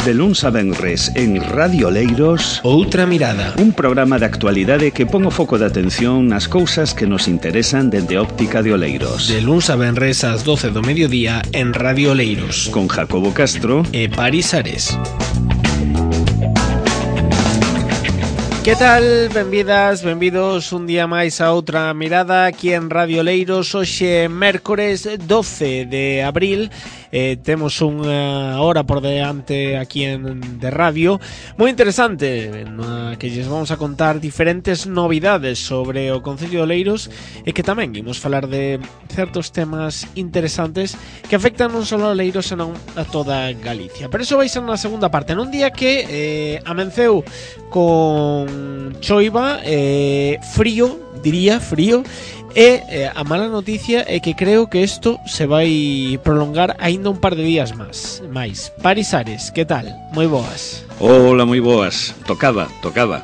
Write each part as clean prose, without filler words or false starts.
De luns a venres en Radio Oleiros, Outra Mirada, un programa de actualidade que pon o foco de atención nas cousas que nos interesan dende óptica de Oleiros. de luns a venres ás 12 do mediodía en Radio Oleiros, Con Jacobo Castro e Paris Ares. Que tal? Benvidas, benvidos un día máis a Outra Mirada aquí en Radio Oleiros. Hoxe mércores 12 de abril. Temos unha hora por diante aquí de radio moi interesante, na que lles vamos a contar diferentes novidades sobre o Concello de Oleiros, e que tamén imos falar de certos temas interesantes que afectan non só a Oleiros, senón a toda Galicia. Pero eso vai ser na segunda parte, nun día que amenceu con choiva, frío, diría frío. E a mala noticia é que creo que isto se vai prolongar aínda un par de días máis. Paris Ares, que tal? Moi boas. Hola, moi boas. Tocaba.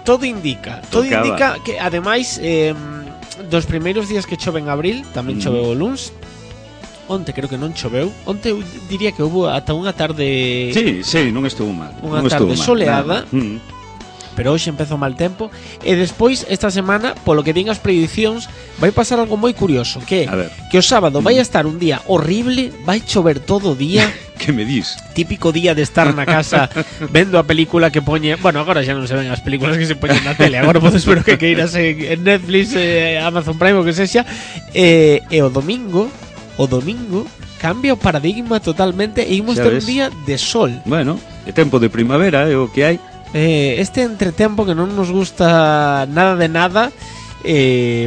Todo indica que ademais dos primeiros días que chove en abril, tamén choveu o luns. Onte creo que non choveu. Onte eu diría que houve ata unha tarde. Sí, non estuvo mal. Unha tarde soleada. Pero hoxe empeza o mal tempo. E despois, esta semana, polo que din as predicións, vai pasar algo moi curioso, que o sábado vai estar un día horrible, vai chover todo o día. Que me dis? Típico día de estar na casa vendo a película que poñe. Bueno, agora xa non se ven as películas que se poñen na tele. Agora podes ver o que queiras en Netflix, Amazon Prime, o que sexa. E o domingo cambia o paradigma totalmente e imos ter un día de sol. Bueno, é tempo de primavera, é o que hai. Este entretempo que non nos gusta nada de nada,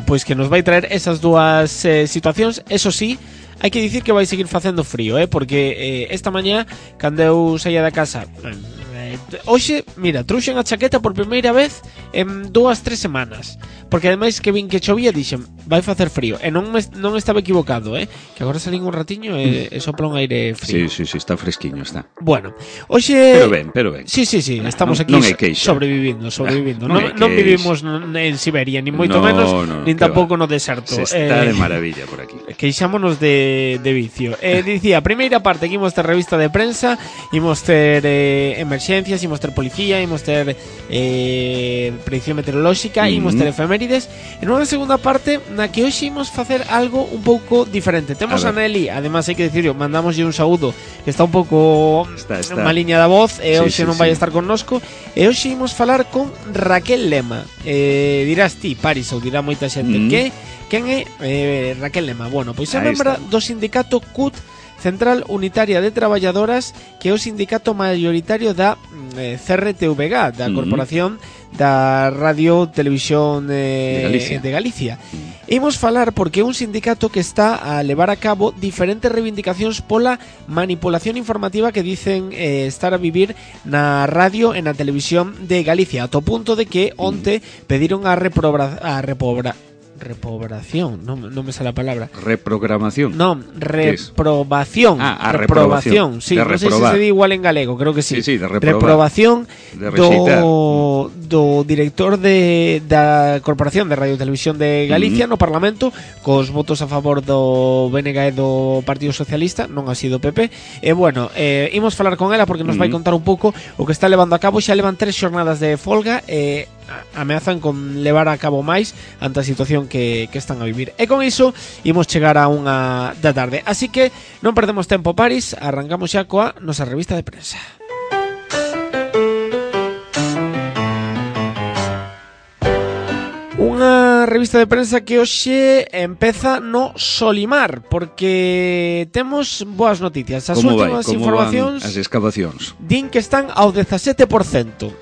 pois que nos vai traer esas dúas situacións. Eso sí, hai que dicir que vai seguir facendo frío, porque esta mañá, cando eu saía da casa, hoxe, mira, trouxen a chaqueta por primeira vez en 2-3 semanas, porque ademais que vin que chovía, dixen, vai facer frío, e non estaba equivocado, que agora salín un ratiño e sopla un aire frío. Sí, está fresquiño, está. Bueno, hoxe... Pero ben. Sí, estamos aquí sobrevivindo. Non vivimos en Siberia, ni moito menos, nin tampouco no deserto. Se está de maravilla por aquí. Queixámonos de vicio. Dicía, a primeira parte que imos ter revista de prensa, imos ter emerxencias, imos ter policía, imos ter predicción meteorolóxica, imos ter efemérides. En unha segunda parte na que hoxe imos facer algo un pouco diferente. Temos a Nelly, además hai que dicirlo, mandamoslle un saúdo, que está un pouco maliña da voz, e hoxe non vai estar connosco. E hoxe imos falar con Raquel Lema. Dirás ti, Paris, ou dirá moita xente quen é Raquel Lema. Bueno, pois é membra do sindicato CUT, Central Unitaria de Traballadoras, que é o sindicato maioritario da CRTVG, da Corporación da Radio Televisión de Galicia. Imos falar porque é un sindicato que está a levar a cabo diferentes reivindicacións pola manipulación informativa que dicen estar a vivir na radio e na televisión de Galicia, a to punto de que onte pediron reprobación, non me sale a palabra. Reprogramación. Non, reprobación. Reprobación. Sí, non sei se se di igual en galego, creo que sí. Sí, de reprobación do director da Corporación de Radio e Televisión de Galicia no Parlamento, cos votos a favor do BNG e do Partido Socialista, non así do PP. E bueno, imos falar con ela porque nos vai contar un pouco o que está levando a cabo. Xa levan 3 xornadas de folga e ameazan con levar a cabo máis ante a situación que están a vivir. E con iso imos chegar a 1 da tarde. Así que non perdemos tempo, Paris. Arrancamos xa coa nosa revista de prensa. Unha revista de prensa que hoxe empeza no Solimar, porque temos boas noticias. As últimas informacións as excavacións din que están ao 17%.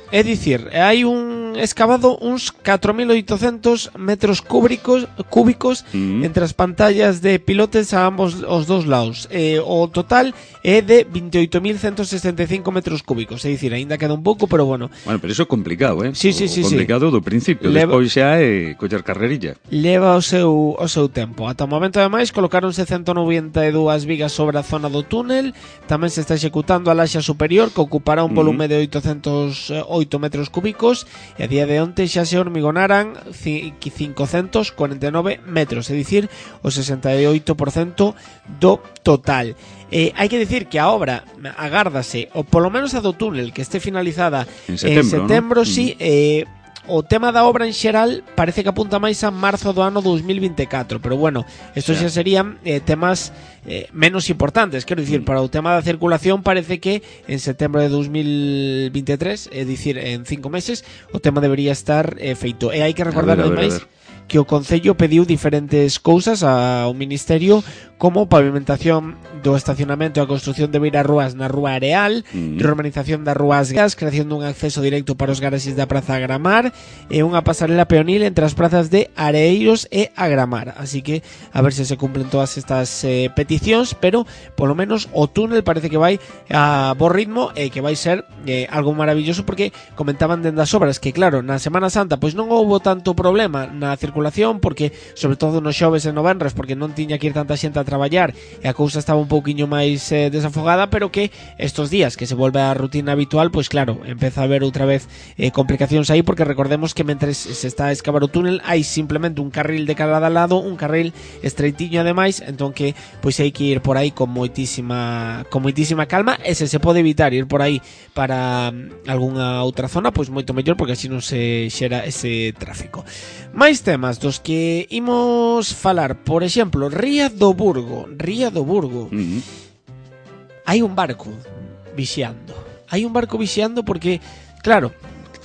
É dicir, hai un excavado uns 4.800 metros cúbicos entre as pantallas de pilotes a ambos os dos lados. O total é de 28.165 metros cúbicos. É dicir, aínda queda un pouco, pero bueno. Bueno, pero iso é complicado, Sí. Complicado do principio, despois xa é coller carrerilla. Leva o seu tempo. Ata o momento, ademais, colocáronse 192 vigas sobre a zona do túnel. Tamén se está executando a laxa superior, que ocupará un volume de 808 metros cúbicos, e a día de onte xa se hormigonaran 549 metros, é dicir, o 68% do total. Hai que dicir que a obra agárdase, ou polo menos a do túnel, que este finalizada en setembro, ¿no? Sí, o tema da obra en xeral parece que apunta máis a marzo do ano 2024, pero bueno, estos xa serían temas menos importantes, quero dicir, para o tema da circulación parece que en setembro de 2023, é dicir, en 5 meses, o tema debería estar feito. E hai que recordar ademais que o Concello pediu diferentes cousas ao Ministerio, como pavimentación do estacionamento e a construción de beirarrúas na Rúa Areal, reorganización das rúas gas, creación dun acceso directo para os garaxes da Praza Agramar e unha pasarela peonil entre as prazas de Areiros e Agramar. Así que a ver se cumplen todas estas peticións, pero polo menos o túnel parece que vai a bo ritmo e que vai ser algo maravilloso, porque comentaban dende as obras que claro, na Semana Santa pois non houbo tanto problema na circulación, porque sobre todo nos xoves e no venres, porque non tiña que ir tanta xente a traballar e a cousa estaba un pouquiño máis desafogada, pero que estos días que se volve a rutina habitual, pois claro, empeza a haber outra vez complicacións aí, porque recordemos que mentres se está a excavar o túnel hai simplemente un carril de cada lado, un carril estreitiño ademais, entón que pois hai que ir por aí con moitísima calma, e se pode evitar ir por aí para algunha outra zona, pois moito mellor, porque así non se xera ese tráfico. Máis temas dos que imos falar, por exemplo, Ría do Burgo. Hai un barco vixiando porque, claro,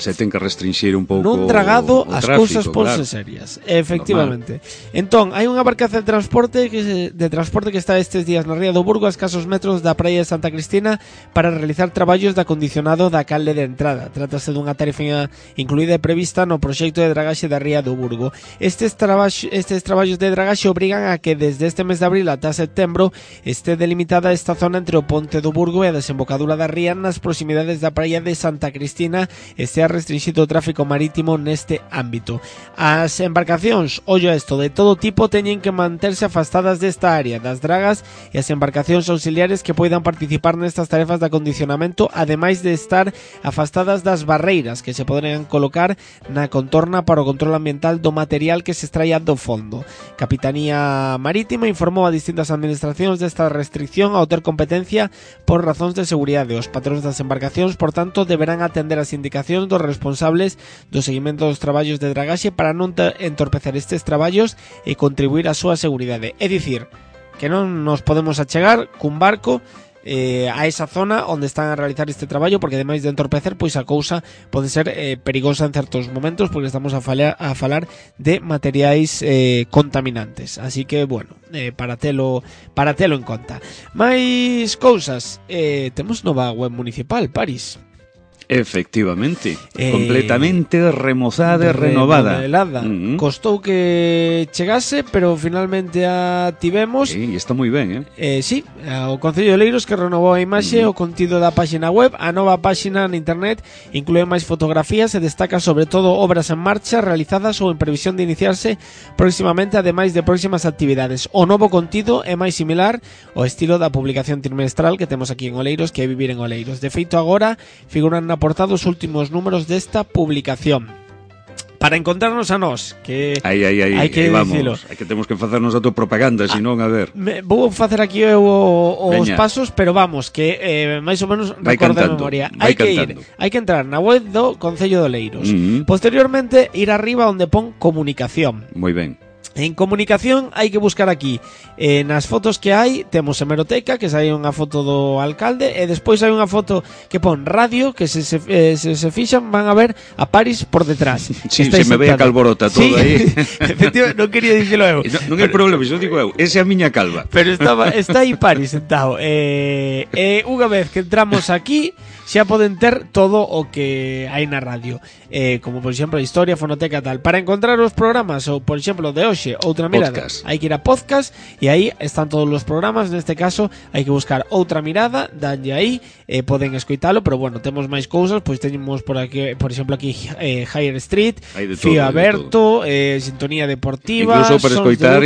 se ten que restringir un pouco non tragado as cousas ponse claro. serias, efectivamente. Entón, hai unha barcaza de transporte que está estes días na Ría do Burgo, a escasos metros da praia de Santa Cristina, para realizar traballos de acondicionado da calde de entrada. Trátase dunha tarefa incluída e prevista no proxecto de dragaxe da Ría do Burgo. Estes traballos de dragaxe obrigan a que desde este mes de abril ata setembro este delimitada esta zona entre o Ponte do Burgo e a desembocadura da ría nas proximidades da praia de Santa Cristina, este restringido o tráfico marítimo neste ámbito. As embarcacións, ollo isto, de todo tipo teñen que manterse afastadas desta área das dragas e as embarcacións auxiliares que poidan participar nestas tarefas de acondicionamento, ademais de estar afastadas das barreiras que se poderán colocar na contorna para o control ambiental do material que se extraia do fondo. Capitanía Marítima informou a distintas administracións desta restricción ao ter competencia por razóns de seguridade. Os patróns das embarcacións, por tanto, deberán atender as indicacións dos responsables do seguimento dos traballos de dragaxe para non entorpecer estes traballos e contribuir á súa seguridade. É dicir, que non nos podemos achegar cun barco a esa zona onde están a realizar este traballo, porque ademais de entorpecer, pois a cousa pode ser perigosa en certos momentos, porque estamos a falar de materiais contaminantes. Así que, bueno, para telo en conta. Máis cousas, temos nova web municipal, Paris. Efectivamente, completamente remozada e renovada. Costou que chegase, pero finalmente a tivemos. Sí, está moi ben, sí, o Concello de Oleiros, que renovou a imaxe, o contido da páxina web. A nova páxina na internet inclúe máis fotografías e destaca sobre todo obras en marcha realizadas ou en previsión de iniciarse próximamente, ademais de próximas actividades. O novo contido é máis similar ao estilo da publicación trimestral que temos aquí en Oleiros, que é Vivir en Oleiros. De feito, agora figuran na portada os últimos números desta publicación. Para encontrarnos a nós, que hai que dicilo. Hai que temos que facernos autopropaganda, senón, a ver. Vou facer aquí os pasos, pero vamos, que máis ou menos recordo de memoria. Hai que entrar na web do Concello de Oleiros. Posteriormente, ir arriba onde pon comunicación. Moi ben. En comunicación hai que buscar aquí nas fotos que hai, temos hemeroteca, que sai unha foto do alcalde, e despois hai unha foto que pon radio, que se fixan van a ver a Paris por detrás. Sí, se me ve a calborota todo aí. Efectivamente, non quería dicilo eu. Non hai problema, iso digo eu, esa é a miña calva. Pero está aí Paris sentado. Unha vez que entramos aquí, xa poden ter todo o que hai na radio, como por exemplo a historia, fonoteca, tal. Para encontrar os programas, ou por exemplo de hoxe, outra mirada, hai que ir a podcast e aí están todos os programas. Neste caso hai que buscar outra mirada, danlle aí, poden escoitalo, pero bueno, temos máis cousas, pois teñemos por aquí, por exemplo aquí Higher Street, Fío Aberto, Sintonía Deportiva, incluso para escoitar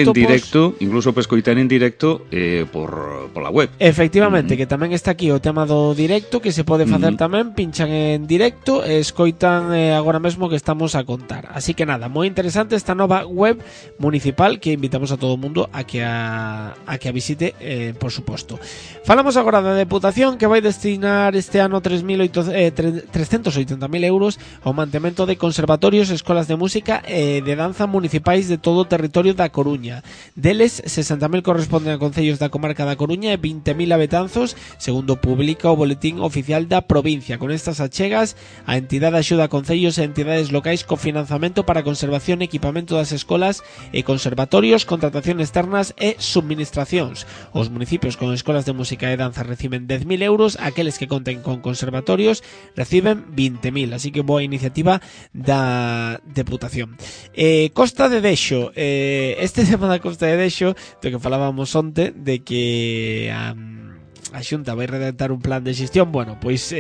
en directo, por la web. Efectivamente, que tamén está aquí o tema do directo, que se pode facer tamén, pinchan en directo e escoitan agora mesmo que estamos a contar. Así que nada, moi interesante esta nova web municipal que invitamos a todo o mundo a que a visite, por suposto. Falamos agora da Deputación, que vai destinar este ano 380.000 euros ao mantemento de conservatorios, escolas de música e de danza municipais de todo o territorio da Coruña. Deles, 60.000 corresponden a concellos da comarca da Coruña e 20.000 a Betanzos, segundo publica o boletín oficial da provincia. Con estas achegas, a entidade axuda a concellos e entidades locais co financiamento para conservación e equipamento das escolas e conservatorios, contratación externas e subministracións. Os municipios con escolas de música e danza reciben 10.000 euros, aqueles que conten con conservatorios reciben 20.000, así que boa iniciativa da Deputación. Costa de Dexo, este tema da Costa de Dexo, do que falábamos onte, de que a Xunta vai redactar un plan de xestión, bueno, pois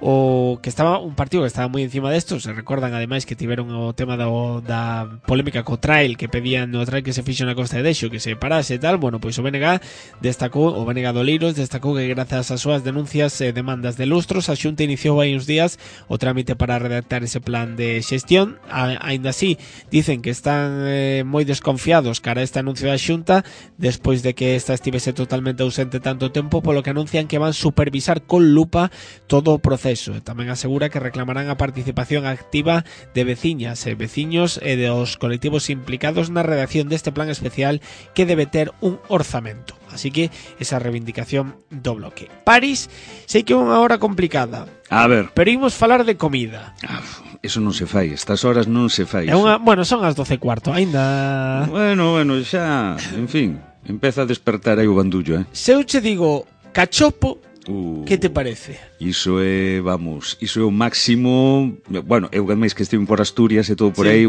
o que estaba un partido que estaba moi encima desto. Se recordan ademais que tiveron o tema da polémica co trail, que pedían o trail que se fixo na Costa de Dexo que se parase e tal. Bueno, pois o BNG destacou, o BNG Doleiros destacou que grazas ás súas denuncias e demandas de lustros, a Xunta iniciou hai uns días o trámite para redactar ese plan de xestión. Aínda así, dicen que están moi desconfiados cara a este anuncio da Xunta despois de que esta estivese totalmente ausente tanto tempo, polo que anuncian que van supervisar con lupa todo o proceso. Tamén asegura que reclamarán a participación activa de veciñas e veciños e dos colectivos implicados na redacción deste plan especial, que debe ter un orzamento. Así que esa reivindicación do bloque. París, sei que é unha hora complicada. A ver, pero imos falar de comida. Eso non se fai, estas horas non se fai. Bueno, son as 12:15, aínda. Bueno, xa, en fin, empeza a despertar aí o bandullo, Se eu che digo cachopo, que te parece? Iso é, vamos, iso é o máximo. Bueno, eu máis que estive por Asturias e todo por aí,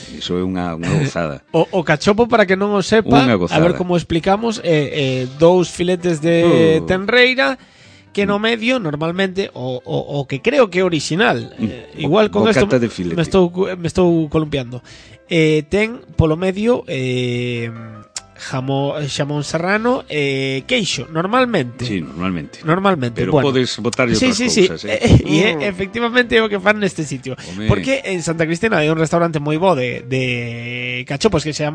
iso é unha gozada. O cachopo, para que non o sepa, a ver como explicamos, dous filetes de tenreira que no medio, normalmente, o que creo que é original, igual con isto me estou columpiando, ten polo medio xamón serrano e queixo, normalmente. Sí, normalmente. Pero bueno, podes botarlle outras cousas, E efectivamente é o que fan neste sitio. Porque en Santa Cristina hai un restaurante moi bo de cachopos que se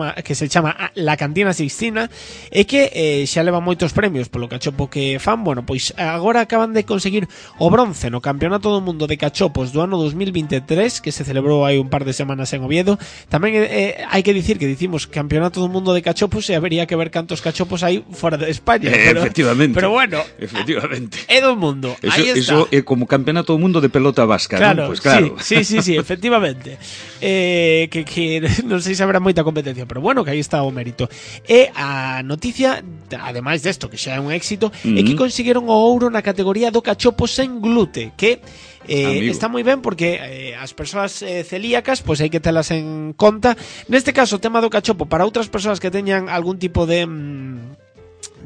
chama La Cantina Sixtina, e que xa leva moitos premios polo cachopo que fan. Bueno, pois agora acaban de conseguir o bronce no Campeonato do Mundo de Cachopos do ano 2023, que se celebrou hai un par de semanas en Oviedo. Tamén hai que dicir que dicimos Campeonato do Mundo de Cachopos e habería que ver cantos cachopos hai fora de España, efectivamente. Pero bueno, efectivamente. É do mundo. Aí está. Eso é como Campeonato do Mundo de pelota vasca, claro, ¿no? Pues claro. Sí, efectivamente. Que non sei se habrá moita competencia, pero bueno, que aí está o mérito. E a noticia, ademais desto, que xa é un éxito, é que consiguieron o ouro na categoría do cachopo sen glute, que está moi ben, porque as persoas celíacas pois hai que telas en conta. Neste caso, o tema do cachopo para outras persoas que teñan algún tipo de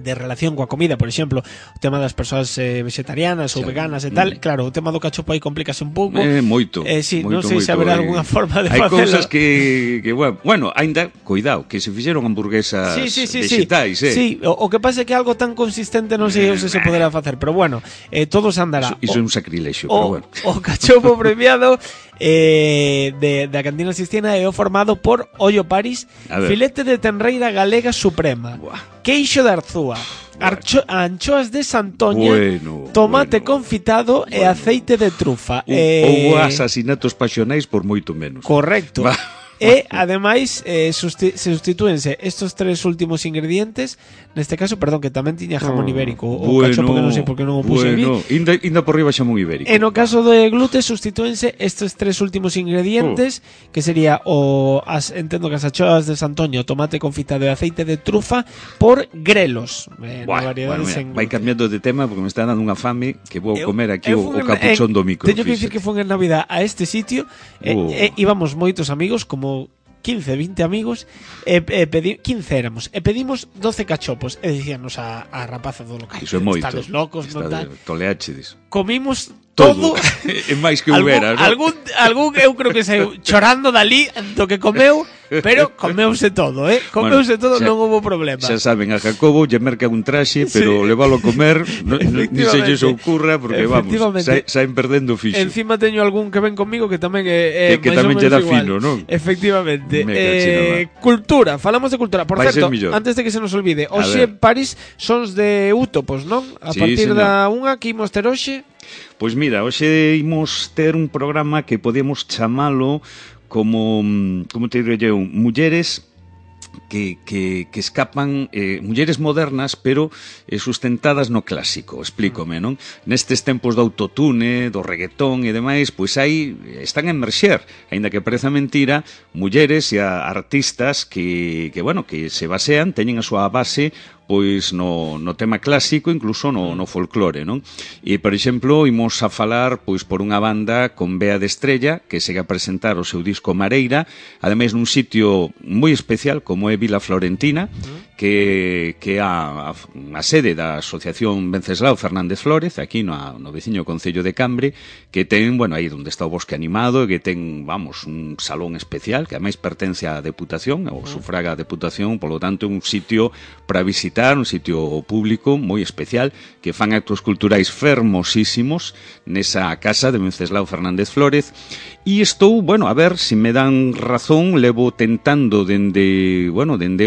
relación coa comida, por exemplo, o tema das persoas vegetarianas ou veganas e tal, claro, o tema do cachopo aí complícase un pouco. Moito. Non sei se haberá algunha forma de facelo. Hai cousas que bueno, aínda, cuidado, que se fixeron hamburguesas vegetais, Sí, o que pasa é que algo tan consistente non sei se poderá facer, pero bueno, todo se andará. Iso é un sacrilexio, pero bueno. O cachopo premiado da Cantina Sixtina é o formado por Ollo París, filete de tenreira galega suprema, queixo de Arzúa, anchoas de Santoña, tomate confitado e aceite de trufa. Ou asasinatos pasionais por moito menos. Correcto. E ademais substitúense estos tres últimos ingredientes. Neste caso, perdón, que tamén tiña jamón ibérico, o cachopo, que non sei por que non o puse aquí. Inda por riba xamón ibérico. En o caso de glute substitúense estes tres últimos ingredientes, que sería entendo que as anchoas de Santoña, o tomate confitado e aceite de trufa, por grelos. Vai cambiando de tema porque me está dando unha fame que vou comer aquí o capuchón do micro. Teño que dicir que foi en Navidad a este sitio, íbamos moitos amigos, como 15, 20 amigos, 15 éramos, e pedimos 12 cachopos, e dicíanos a rapaza do local: iso é moito, estades locos, non tal. Toleachedes. Comimos todo. É máis que houbera, non? Algún eu creo que saiu chorando dali do que comeu, pero comeuse todo, comeuse todo, non houve problema. Xa saben, a Jacobo lle merca un traxe, pero levalo a comer ni se lle ocurra, porque vamos, saen perdendo fixo. Encima teño algún que ven conmigo que tamén é que tamén lle dá fino, non? Efectivamente. Cultura, falamos de cultura. Por certo, antes de que se nos olvide, hoxe París sons de Útopos, non? A partir da unha que imos ter hoxe. Pois mira, hoxe imos ter un programa que podemos chamalo como te diré eu, mulleres que escapan, mulleres modernas, pero sustentadas no clásico, explícome, non? Nestes tempos do autotune, do reggaetón e demais, pois aí están a emerxer, aínda que pareza mentira, mulleres e artistas que se basean, teñen a súa base pois no tema clásico, incluso no folclore, non? E, por exemplo, imos a falar pois por unha banda con Bea de Estrella, que segue a presentar o seu disco Mareira, ademais nun sitio moi especial como é Vila Florentina, que é a sede da Asociación Venceslao Fernández Flórez, aquí no veciño concello de Cambre, que ten, aí onde está o Bosque Animado, que ten, un salón especial, que ademais pertence á Deputación, ou sufraga a Deputación, polo tanto, un sitio para visitar, un sitio público moi especial, que fan actos culturais fermosísimos nesa casa de Venceslao Fernández Flórez. E estou, a ver, se me dan razón, levo tentando dende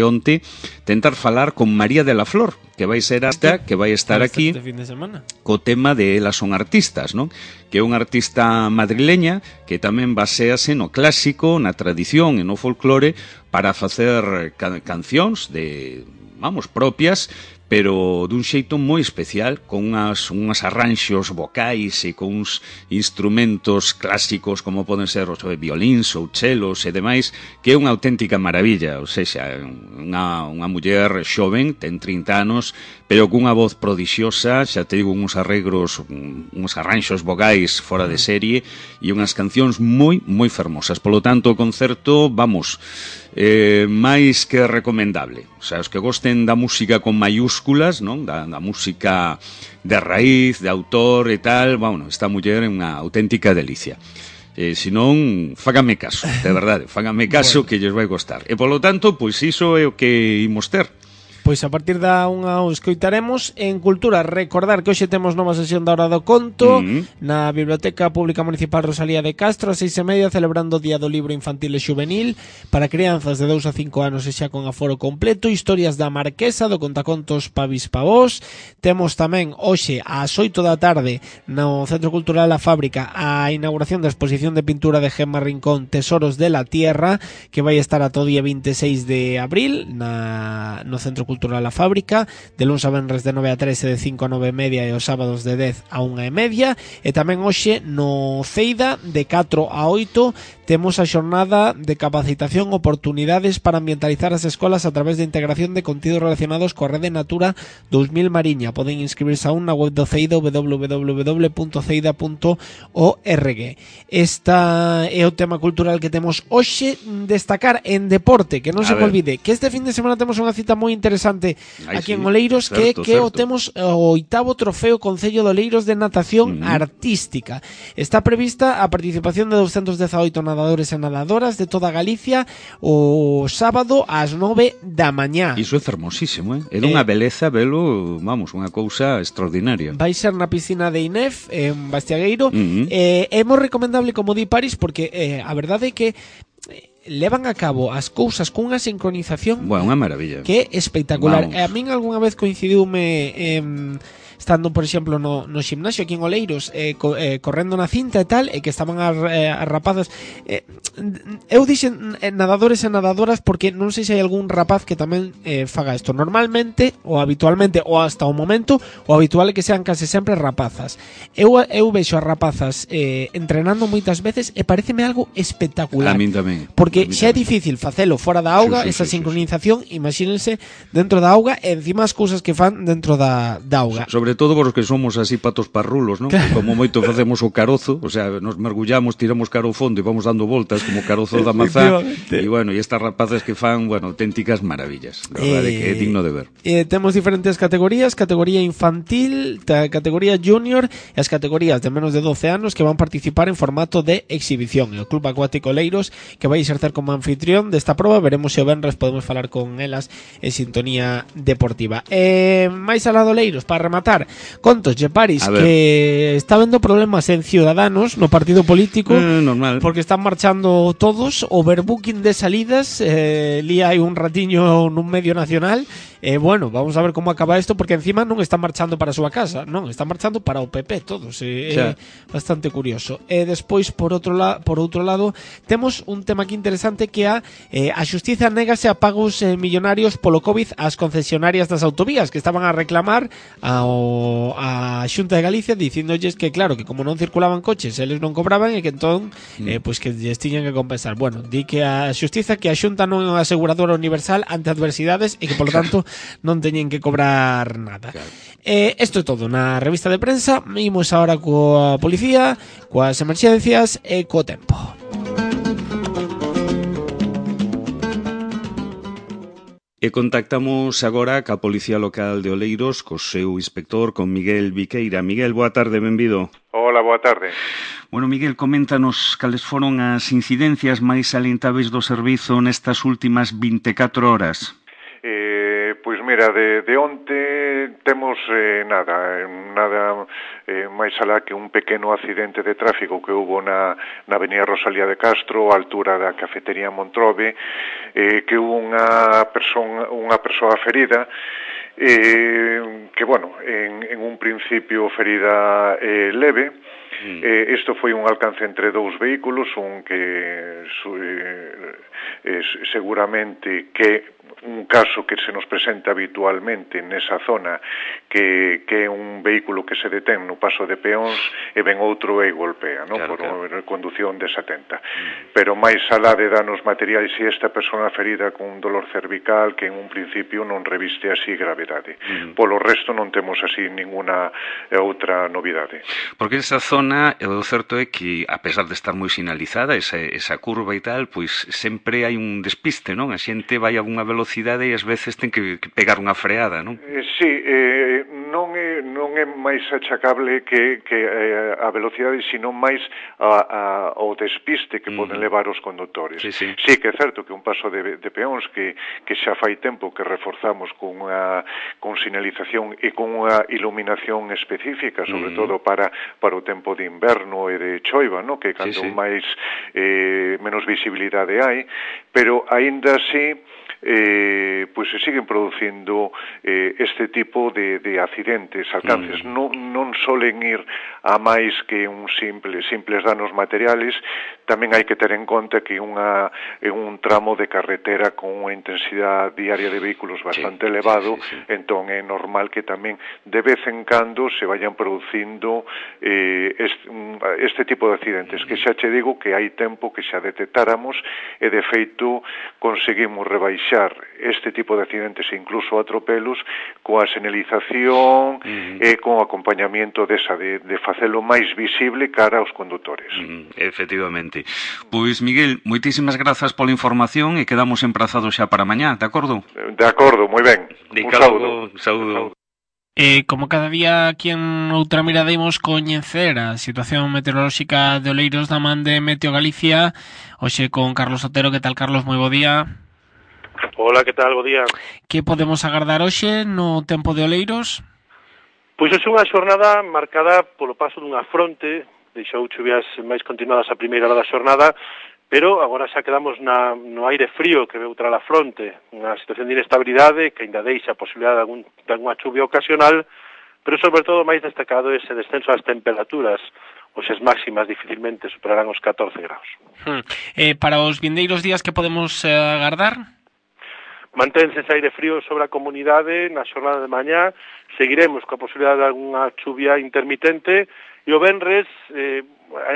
onte tentar falar con María de la Flor, que vai ser que vai estar aquí co tema de Elas son artistas, non? Que é unha artista madrileña que tamén basease no clásico, na tradición e no folclore para facer cancións propias, pero dun xeito moi especial, con unhas arranxos vocais e con uns instrumentos clásicos como poden ser os violíns ou chelos e demais, que é unha auténtica maravilla. Ou seja, unha muller xoven, ten 30 anos, pero cunha voz prodixiosa, xa te digo, uns arranxos vocais fora de serie e unhas cancións moi, moi fermosas. Polo tanto, o concerto, máis que recomendable. O sea, os que gosten da música con maiúsculas, non? Da música de raíz, de autor e tal, esta muller é unha auténtica delicia. Se non, fágame caso, de verdade, fágame caso que lles vai gostar. E polo tanto, pois iso é o que imos ter. Pois a partir da unha o escoitaremos. En Cultura, recordar que hoxe temos nova sesión da Hora do Conto na Biblioteca Pública Municipal Rosalía de Castro a 6:30, celebrando o Día do Libro Infantil e Xuvenil para crianzas de 2 a 5 anos e xa con aforo completo. Historias da Marquesa, do contacontos Pavis Pavós. Temos tamén hoxe ás 8 da tarde no Centro Cultural La Fábrica a inauguración da exposición de pintura de Gemma Rincón, Tesoros de la Tierra, que vai estar ata o día 26 de abril no Centro Cultural La Fábrica, de luns a venres de 9 a 13, de 5 a 9:30 e os sábados de 10 a 1:30. E tamén hoxe no Ceida, de 4 a 8, temos a xornada de capacitación, oportunidades para ambientalizar as escolas a través de integración de contidos relacionados coa Rede Natura 2000 Mariña. Poden inscribirse aún na web do Ceida, www.ceida.org. Esta é o tema cultural que temos hoxe. Destacar en deporte, que non se me olvide, que este fin de semana temos unha cita moi interesante aquí en Oleiros, certo. Temos o 8º trofeo Concello de Oleiros de natación artística. Está prevista a participación de 218 nadadores e nadadoras de toda Galicia o sábado ás 9 da mañá. Iso é fermosísimo, é dunha beleza, velo, unha cousa extraordinaria. Vai ser na piscina de Inef, en Bastiagueiro. É moi recomendable, como di París, porque a verdade é que levan a cabo as cousas cunha sincronización unha maravilla, que é espectacular. A min algunha vez coincidiume estando, por exemplo, no ximnasio aquí en Oleiros, correndo na cinta e tal, e que estaban as rapazas. Eu dixen nadadores e nadadoras porque non sei se hai algún rapaz que tamén faga isto. Normalmente, ou habitualmente, ou hasta o momento, o habitual é que sean case sempre rapazas. Eu vexo as rapazas entrenando moitas veces e pareceme algo espectacular. A min tamén. Porque porque xa é difícil facelo fora da auga, esa sincronización, imagínense dentro da auga e encima as cousas que fan dentro da auga. Sobre todo vos que somos así patos parrulos, non? Claro. Como moito facemos o carozo, o sea, nos mergullamos, tiramos cara ao fondo e vamos dando voltas como carozo da mazá, e bueno, e estas rapaces que fan, bueno, auténticas maravillas, a verdade que é digno de ver. Temos diferentes categorías, categoría infantil, categoría junior e as categorías de menos de 12 anos que van participar en formato de exhibición. E o Club Acuático Oleiros que vai exercer como anfitrión desta proba, veremos se o venres podemos falar con elas en sintonía deportiva. Máis alá do Oleiros, para rematar, contos de Paris que está vendo problemas en Ciudadanos no partido político, normal, porque están marchando todos, overbooking de salidas, li hai un ratiño nun medio nacional. Bueno, vamos a ver como acaba isto, porque encima non están marchando para a súa casa, non, están marchando para o PP todos, bastante curioso. Despois, por outro lado, temos un tema aquí interesante que a Xustiza négase a pagos millonarios polo COVID ás concesionarias das autovías que estaban a reclamar a Xunta de Galicia dicindolles que claro, que como non circulaban coches eles non cobraban e que entón pois que lles tiñan que compensar. Bueno, di que a Xustiza que a Xunta non é unha aseguradora universal ante adversidades e que polo tanto non teñen que cobrar nada. Isto é todo na revista de prensa. Imos agora coa policía, coas emerxencias e co tempo. E contactamos agora ca Policía Local de Oleiros, co seu inspector, con Miguel Viqueira. Miguel, boa tarde, benvido. Hola, boa tarde. Bueno, Miguel, coméntanos cales foron as incidencias máis salientáveis do servizo nestas últimas 24 horas. Pois mira, de onte temos nada máis alá que un pequeno accidente de tráfico que hubo na avenida Rosalía de Castro, á altura da cafetería Montrobe, que hubo unha persoa ferida, que, bueno, en un principio ferida leve. Isto foi un alcance entre dous vehículos, un que seguramente que un caso que se nos presenta habitualmente nesa zona, que é un vehículo que se detén no paso de peóns e ven outro e golpea, non? Por condución desatenta. Pero máis alá de danos materiais, e esta persona ferida con un dolor cervical que en un principio non reviste así gravedade. Polo resto non temos así ninguna outra novidade. Porque esa zona, o certo é que, a pesar de estar moi sinalizada, esa curva e tal, pois sempre hai un despiste, non? A xente vai a unha velocidade e ás veces ten que pegar unha freada, non? Sí, non é máis achacable que a velocidade, sino máis ao despiste que poden levar os condutores. Sí que é certo que un paso de peóns que xa fai tempo que reforzamos con sinalización e con unha iluminación específica, sobre todo para o tempo de inverno e de choiva, non? Que cando máis menos visibilidade hai, pero aínda así pois se siguen producindo este tipo de accidentes, alcances. Non solen ir a máis que simples danos materiales. Tamén hai que ter en conta que é un tramo de carretera con unha intensidade diaria de vehículos bastante elevado, entón é normal que tamén de vez en cando se vayan producindo este tipo de accidentes, que xa che digo que hai tempo que xa detectáramos e de feito conseguimos rebaixar este tipo de accidentes e incluso atropelos coa señalización e con acompañamiento de facelo máis visible cara aos condutores. Efectivamente. Pois, Miguel, moitísimas grazas pola información e quedamos emprazados xa para mañá, de acordo? De acordo, moi ben. Un saúdo. Como cada día aquí en outra mirada imos coñecer a situación meteorolóxica de Oleiros da man de Meteo Galicia, hoxe con Carlos Otero. Que tal, Carlos? Moi bo día. Hola, que tal? Bo día. Que podemos agardar hoxe no tempo de Oleiros? Pois é unha xornada marcada polo paso dunha fronte, deixou chuvias máis continuadas a primeira hora da xornada, pero agora xa quedamos no aire frío que veu tras a fronte, unha situación de inestabilidade que ainda deixa a posibilidade de alguna chuvia ocasional, pero sobre todo máis destacado ese descenso das temperaturas. Hoxe as máximas dificilmente superarán os 14 graus. Para os vindeiros días, que podemos agardar? Manténse ese aire frío sobre a comunidade na xornada de mañá, seguiremos coa posibilidade de algunha chuvia intermitente, e o venres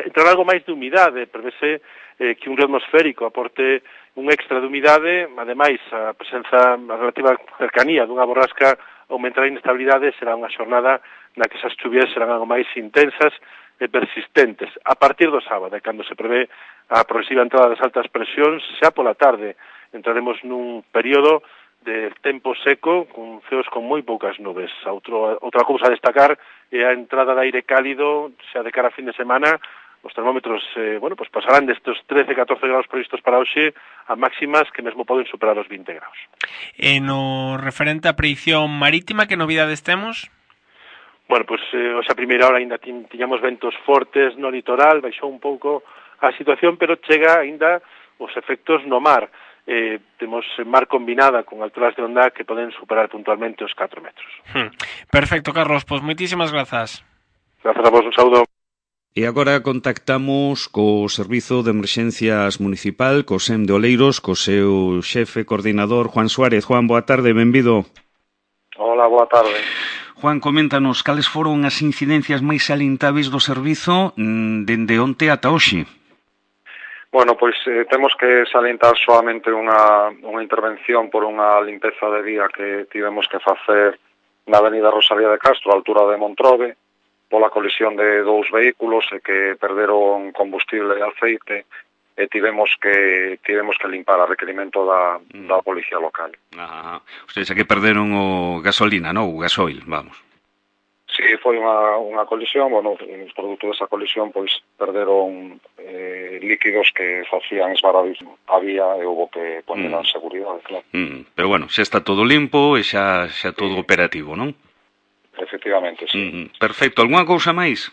entrará algo máis de humidade, prevese que un río atmosférico aporte un extra de humidade, ademais a presenza, a relativa cercanía dunha borrasca aumentará a inestabilidade, será unha xornada na que esas chuvias serán algo máis intensas e persistentes. A partir do sábado, cando se prevé a progresiva entrada das altas presións, xa pola tarde entraremos nun período de tempo seco, con ceos con moi poucas nubes. Outra cousa a destacar é a entrada de aire cálido, xa de cara a fin de semana. Os termómetros, pues pasarán destes 13-14 graus previstos para hoxe a máximas que mesmo poden superar os 20 graus. E no referente á predición marítima, que novidades temos? Bueno, pues hoxe a primeira hora ainda tiñamos ventos fortes no litoral, baixou un pouco a situación, pero chega ainda os efectos no mar. Temos mar combinada con alturas de onda que poden superar puntualmente os 4 metros. Perfecto, Carlos, pois moitísimas grazas. Grazas a vos, un saúdo. E agora contactamos co Servizo de Emerxencias Municipal, co SEM de Oleiros, co seu xefe coordinador, Juan Suárez. Juan, boa tarde, benvido. Hola, boa tarde. Juan, coméntanos, cales foron as incidencias máis salientáveis do servizo dende onte ata hoxe? Bueno, pois temos que salientar solamente unha intervención por unha limpeza de vía que tivemos que facer na avenida Rosalía de Castro, a altura de Montrove, pola colisión de dous vehículos e que perderon combustible e aceite e tivemos que limpar a requerimento da policía local. Ustedes que perderon o gasolina, non? O gasoil, vamos. Sí, foi unha colisión, bueno, os produtos desa colisión pois perderon líquidos que facían esvaradismo a vía e houve que poner en seguridade, claro. Pero bueno, xa está todo limpo e xa todo operativo, non? Efectivamente, sí. Perfecto. Algúna cousa máis?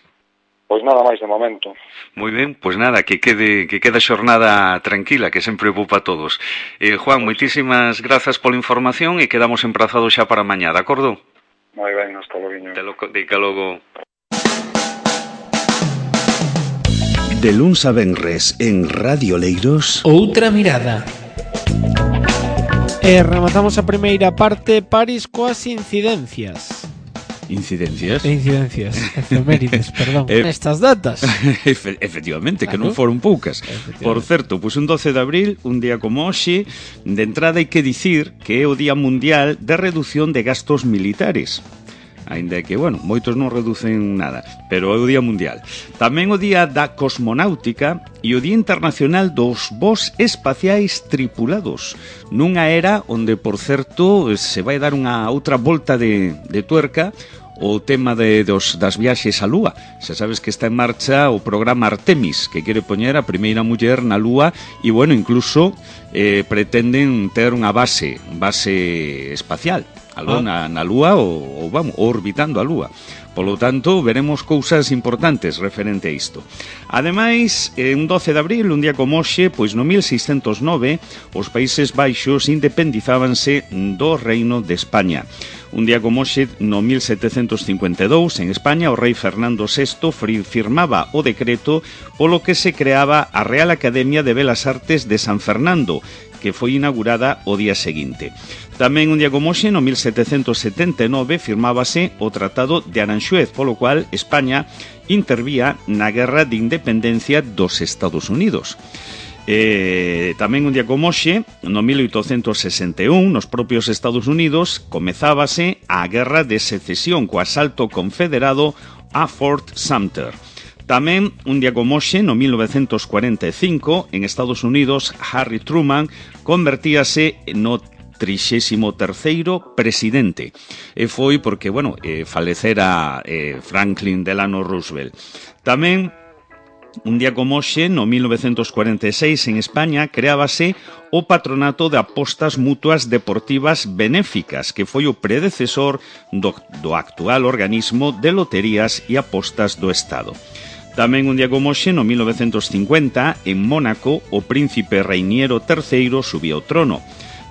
Pois nada máis de momento. Moi ben, pois nada, que quede a xornada tranquila, que sempre ocupa a todos. Juan, moitísimas grazas pola información e quedamos emprazados xa para mañá, de acordo? Moi ben, hasta logo. Dica logo. De luns a venres en Radio Oleiros, Outra mirada. E rematamos a primeira parte, París coas incidencias. Incidencias? Efemérides, perdón. Estas datas. Efectivamente, que non foron poucas. Por certo, pois un 12 de abril, un día como hoxe, de entrada hai que dicir que é o Día Mundial de Reducción de Gastos Militares. Ainda que, bueno, moitos non reducen nada, pero é o Día Mundial. Tamén o Día da Cosmonáutica e o Día Internacional dos Voos Espaciais Tripulados, nunha era onde, por certo, se vai dar unha outra volta de tuerca o tema das viaxes á Lúa. Xa sabes que está en marcha o programa Artemis, que quere poñer a primeira muller na Lúa e, bueno, incluso pretenden ter unha base espacial aló na Lúa ou orbitando a Lúa. Polo tanto, veremos cousas importantes referente a isto. Ademais, un 12 de abril, un día como hoxe, pois no 1609, os Países Baixos independizábanse do Reino de España. Un día como hoxe, no 1752, en España, o rei Fernando VI firmaba o decreto polo que se creaba a Real Academia de Belas Artes de San Fernando, que foi inaugurada o día seguinte. Tamén un día como hoxe, no 1779, firmábase o Tratado de Aranxuez, polo cual España intervía na Guerra de Independencia dos Estados Unidos. Tamén un día como hoxe, no 1861, nos propios Estados Unidos, comezábase a Guerra de Secesión co asalto confederado a Fort Sumter. Tamén, un día como hoxe, no 1945, en Estados Unidos, Harry Truman convertíase no 33º presidente. E foi porque, falecera Franklin Delano Roosevelt. Tamén, un día como hoxe, no 1946, en España, creábase o Patronato de Apostas Mutuas Deportivas Benéficas, que foi o predecesor do actual organismo de loterías e apostas do Estado. Tamén un día como hoxe, no 1950, en Mónaco, o príncipe Reiniero III subía ao trono.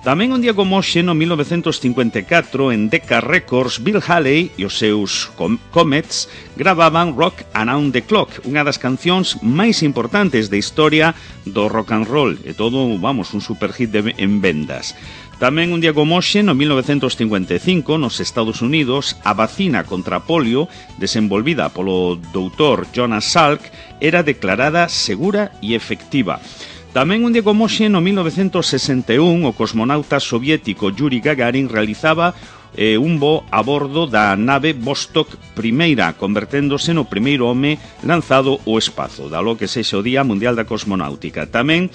Tamén un día como hoxe, no 1954, en Decca Records, Bill Haley e os seus Comets gravaban Rock Around the Clock, unha das cancións máis importantes da historia do rock and roll, e todo, un superhit en vendas. Tamén un día como hoxe, no 1955, nos Estados Unidos, a vacina contra polio, desenvolvida polo doutor Jonas Salk, era declarada segura e efectiva. Tamén un día como hoxe, no 1961, o cosmonauta soviético Yuri Gagarin realizaba un voo a bordo da nave Vostok I, converténdose no primeiro home lanzado ao espazo, dalo que sexa o Día Mundial da Cosmonáutica. Tamén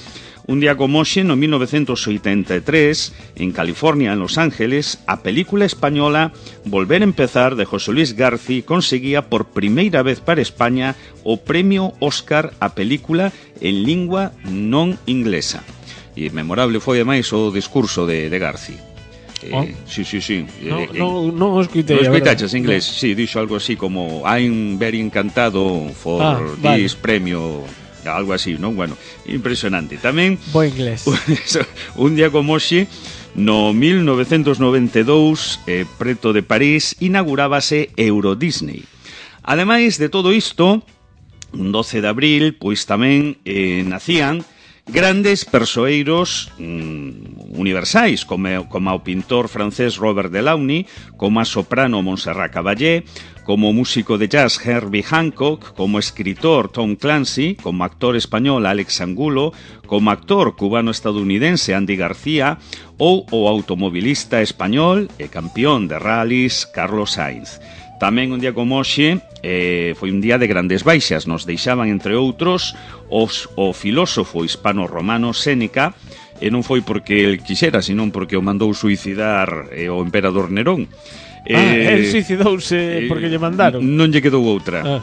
un día como hoxe, no 1983, en California, en Los Ángeles, a película española Volver a Empezar, de José Luis Garci, conseguía por primeira vez para España o premio Óscar a película en lingua non inglesa. E memorable foi, ademais, o discurso de Garci. Sí. No escuitei. Non escuitaches inglés? No. Sí, dixo algo así como I'm very encantado for this premio... algo así, non? Bueno, impresionante. Tamén bo inglés. Un día como hoxe, no 1992, preto de París, inaugurábase Euro Disney. Ademais de todo isto, un 12 de abril, pois tamén nacían grandes persoeiros universais, como o pintor francés Robert Delaunay, como a soprano Montserrat Caballé, como músico de jazz Herbie Hancock, como escritor Tom Clancy, como actor español Alex Angulo, como actor cubano-estadounidense Andy García ou o automobilista español e campeón de rallies Carlos Sainz. Tamén un día como hoxe foi un día de grandes baixas. Nos deixaban, entre outros, o filósofo hispano-romano Séneca, e non foi porque el quixera, senón porque o mandou suicidar o emperador Nerón. El suicidouse porque lle mandaron. Non lle quedou outra.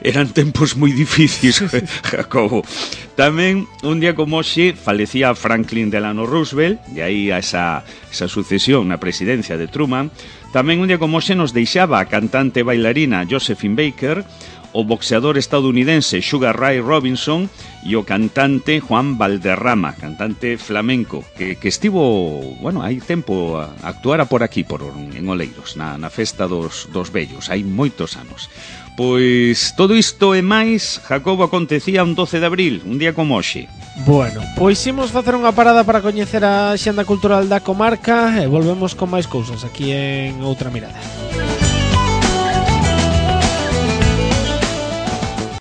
Eran tempos moi difíciles, Jacobo. Tamén, un día como hoxe, falecía Franklin Delano Roosevelt, e aí a esa sucesión na presidencia de Truman. Tamén un día como hoxe nos deixaba a cantante e bailarina Josephine Baker, o boxeador estadounidense Sugar Ray Robinson e o cantante Juan Valderrama, cantante flamenco, que estivo, bueno, hai tempo actuara por aquí, en Oleiros, na festa dos vellos, hai moitos anos. Pois todo isto e máis, Jacobo, acontecía un 12 de abril, un día como hoxe. Bueno, pois imos facer unha parada para coñecer a xenda cultural da comarca e volvemos con máis cousas aquí en Outra Mirada.